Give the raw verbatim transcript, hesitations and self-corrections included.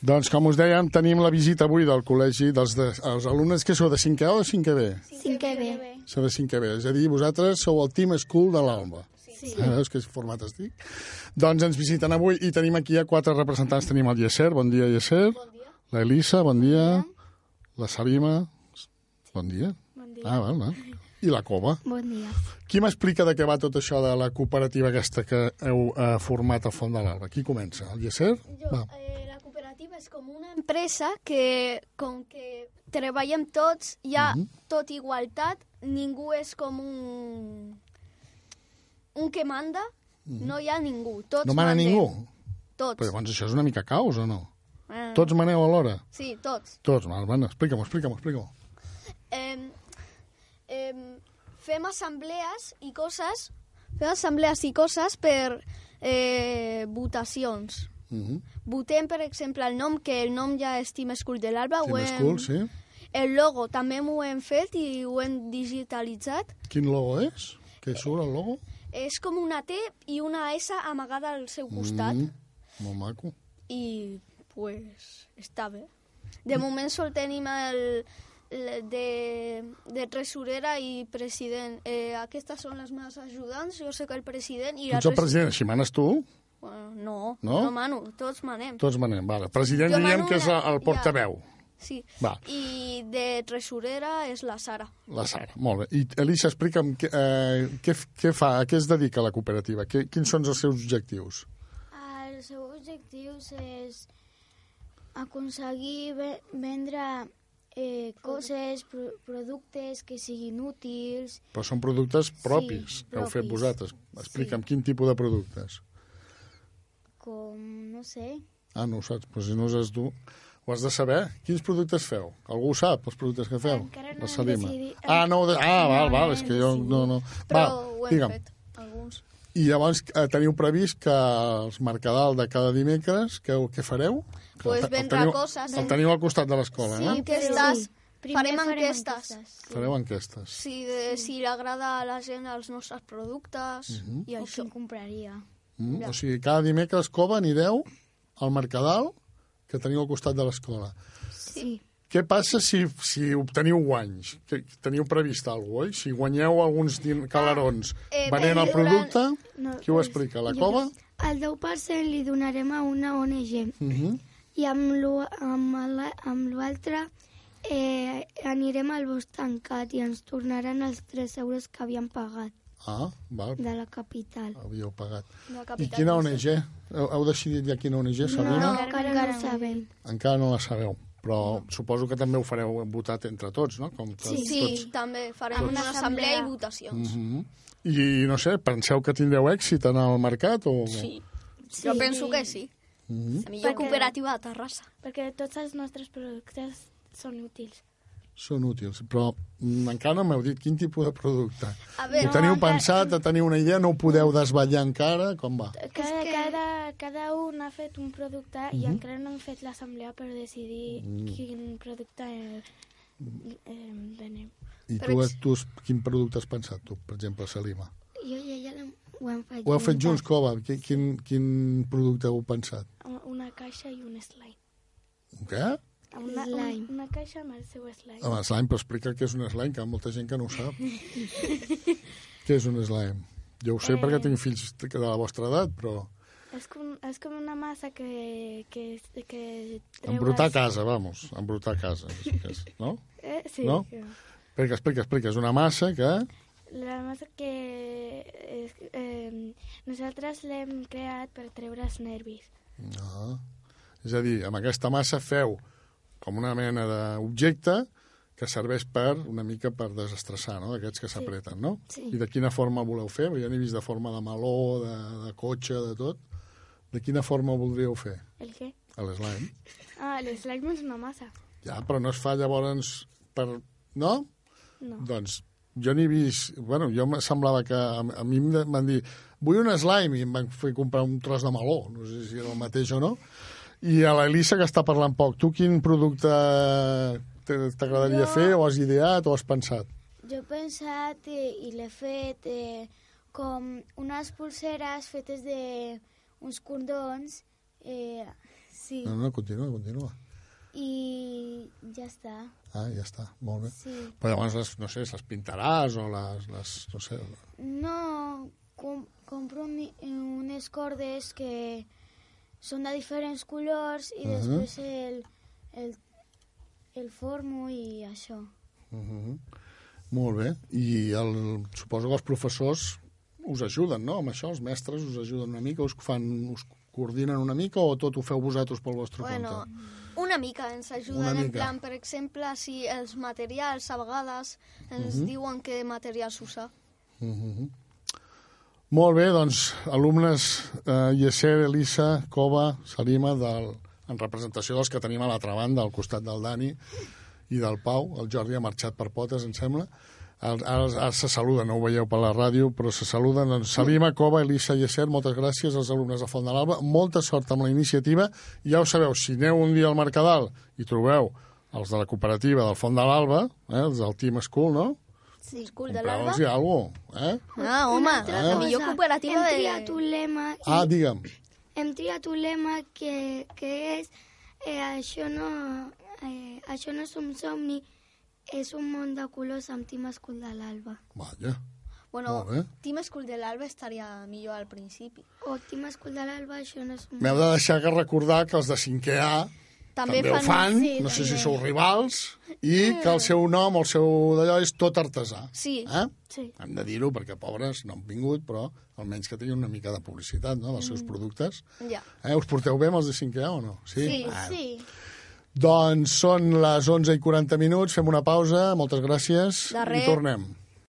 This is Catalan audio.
Doncs, com us dèiem, tenim la visita avui del col·legi dels de, els alumnes que sou de cinquè o de cinquè B? cinquè B. Sou de cinquè B, és a dir, vosaltres sou el Team School de l'Alba. Sí. Ah, veus que format estic? Doncs ens visiten avui i tenim aquí a quatre representants. Tenim el Yeser, bon dia, Yeser. Bon dia. La Elisa, bon dia. La Salima, bon dia. Bon dia. Ah, val, val. I la Cova. Bon dia. Qui m'explica de què va tot això de la cooperativa aquesta que heu eh, format al Font de l'Alba? Qui comença? El Yeser? Jo, Va. eh, la cooperativa és com una empresa que, com que treballem tots, hi ha Mhm. tot igualtat, ningú és com un, un que manda, no hi ha ningú, tots No mana mandem. ningú? Tots. Però llavors això és una mica caos, o no? Ah. Tots maneu alhora? Sí, tots. Tots, val, van, explica'm, explica'm, explica'm. Eh, eh, fem assemblees i coses, fem assemblees i coses per eh, votacions. Mhm. Votem, per exemple, el nom, que el nom ja és Team School de l'Alba. ho Team hem- School, sí. El logo també m'ho hem fet i ho hem digitalitzat. Quin logo és? Què surt, el logo? És com una T i una S amagada al seu costat. Mm, molt maco. I, pues, està bé. De moment sol tenim el, el de, de tresorera i president. Eh, aquestes són les meves ajudants, jo soc el president i Tu ets el president, així manes tu? Bueno, no, No? no, mano, tots manem. Tots manem, vale. President Jo diríem mano que és una- el portaveu. Sí. Va. I de tresorera és la Sara. La Sara, molt bé. I Elisa, explica'm què, eh, què, què fa, a què es dedica la cooperativa? Què, quins són els seus objectius? Els seus objectius és aconseguir ve vendre eh, coses, pro productes que siguin útils. Però són productes propis Sí, que heu fet propis. vosaltres. Explica'm Sí. quin tipus de productes. Com, no sé... Ah, no ho saps, però si no ho saps tu, ho has de saber. Quins productes feu? Algú ho sap, els productes que feu? Encara no La hem Salima. decidit- Ah, no, ho de... ah, val, No, val, no és hem que jo... decidit. No, no. Però Va, ho hem digue'm. fet, alguns. I llavors eh, teniu previst que els Mercadal de cada dimecres, què, què fareu? Que Pues el te- el vendre teniu, coses. El teniu al costat de l'escola, Sí, no? enquestes. Primer Farem farem enquestes. enquestes. Fareu enquestes. Si, de, si li agrada a la gent els nostres productes Mhm. i O això. qui compraria. Mm? O sigui, cada dimecres, Cova, anireu al Mercadal que teniu al costat de l'escola. Sí. Què passa si, si obteniu guanys? Que teniu previst alguna cosa, oi? Si guanyeu alguns din- calarons eh, venent el durant- producte, No, qui ho pues, explica? La jo- Cova? El deu per cent li donarem a una O N G Uh -huh. i amb l'o- amb la- amb l'altre eh, anirem al bosc tancat i ens tornaran els tres euros que havíem pagat Ah, val, de la capital. havíeu pagat. De la I capital, quina no O sé. N G? Heu, heu decidit ja quina O N G, Sabina? No, No, encara no ho sabem. Encara no la sabeu, però suposo que també ho fareu votat entre tots, no? Com que Sí, sí, tots. també farem Amb una una assemblea i assemblea. votacions. Mhm. I, no sé, penseu que tindreu èxit en el mercat? O... Sí. Sí. Jo penso que sí. Mhm. La millor Perquè- cooperativa de Terrassa. Perquè tots els nostres productes són útils. Són útils, però mm, encara no m'heu dit quin tipus de producte. A Ho veure, teniu encara- pensat, teniu una idea, no ho podeu desvetllar encara? Com va? Cada, cada, cada un ha fet un producte i encara no hem fet l'assemblea per decidir quin producte eh, eh, venem. I Per tu, ex- tu, quin producte has pensat, tu, per exemple, Salima? Jo i ella l'hem- ho hem fet Ho heu fet junts, Cova? Quin, quin, quin producte heu pensat? Una caixa i un slime. Què? Una, Slime. una caixa amb el seu slime. Home, slime, però explica què és un slime, que hi ha molta gent que no ho sap. Què és un slime? Jo ho sé Eh. perquè tinc fills de la vostra edat, però... És com, és com una massa que... que, que treues... Embrutar casa, vamos, embrutar casa, és, és, no? Eh, sí. No? Explica, explica, explica. És una massa que... La massa que és, eh, nosaltres l'hem creat per treure els nervis. No. És a dir, amb aquesta massa feu com una mena d'objecte que serveix per, una mica per desestressar, no?, d'aquests que s'apreten, no? Sí. I de quina forma voleu fer? Jo n'he vist de forma de meló, de, de cotxe, de tot. De quina forma ho voldríeu fer? El què? L'slime. Ah, l'slime és una massa. Ja, però no es fa llavors per... No? No. Doncs jo n'he vist... Bueno, jo em semblava que... A, a mi em van dir, vull un slime, i em van fer comprar un tros de meló. No sé si era el mateix o no. I a l'Elisa, que està parlant poc, tu quin producte t'agradaria Jo- fer, o has ideat, o has pensat? Jo he pensat eh, i l'he fet eh, com unes pulseres fetes de uns cordons eh, Sí. No, no, continua, continua. I ja està. Ah, ja està, molt bé. Sí. Però llavors, les, no sé, les pintaràs o les, les no sé... No, com, compro un, unes cordes que són de diferents colors i Uh-huh. després el, el, el formo i això. Uh-huh. Molt bé. I el, suposo que els professors us ajuden, no? Amb això, els mestres us ajuden una mica, us fan, us coordinen una mica o tot ho feu vosaltres pel vostre Bueno, compte? una mica ens ajuden, Una en mica. plan, per exemple, si els materials a vegades ens Mhm. diuen què materials usar. Uh-huh. Molt bé, doncs, alumnes eh, Yeser, Elisa, Cova, Salima, del, en representació dels que tenim a l'altra banda, al costat del Dani i del Pau. El Jordi ha marxat per potes, em sembla. Ara, ara se saluden, no ho veieu per la ràdio, però se saluden. Doncs, Salima, Cova, Elisa i Yeser, moltes gràcies als alumnes de Font de l'Alba. Molta sort amb la iniciativa. Ja ho sabeu, si aneu un dia al Mercadal i trobeu els de la cooperativa del Font de l'Alba, eh, els del Team School, no? Sí. School de l'Alba. Compreu-los-hi alguna cosa, eh? Ah, home, altra la cosa. millor cooperativa Hem de... triat un lema i Ah, digue'm. hem triat un lema que, que és eh, això, no, eh, això no és un somni, és un món de colors amb Team School de l'Alba. Vaja. Bueno, Molt bé. Team School de l'Alba estaria millor al principi. O Team School de l'Alba, això no és un... M'heu de deixar que recordar que els de cinquè A també, també ho fan, sí, no sé també. si sou rivals, i que el seu nom, el seu d'allò, és tot artesà. Sí. Eh? Sí. Hem de dir-ho perquè, pobres, no han vingut, però almenys que tinguin una mica de publicitat, no?, dels seus productes. Ja. Eh? Us porteu bé amb els de cinquè A o no? Sí, Bueno. Sí. Doncs són les onze i quaranta minuts, fem una pausa, moltes gràcies, De res. i tornem.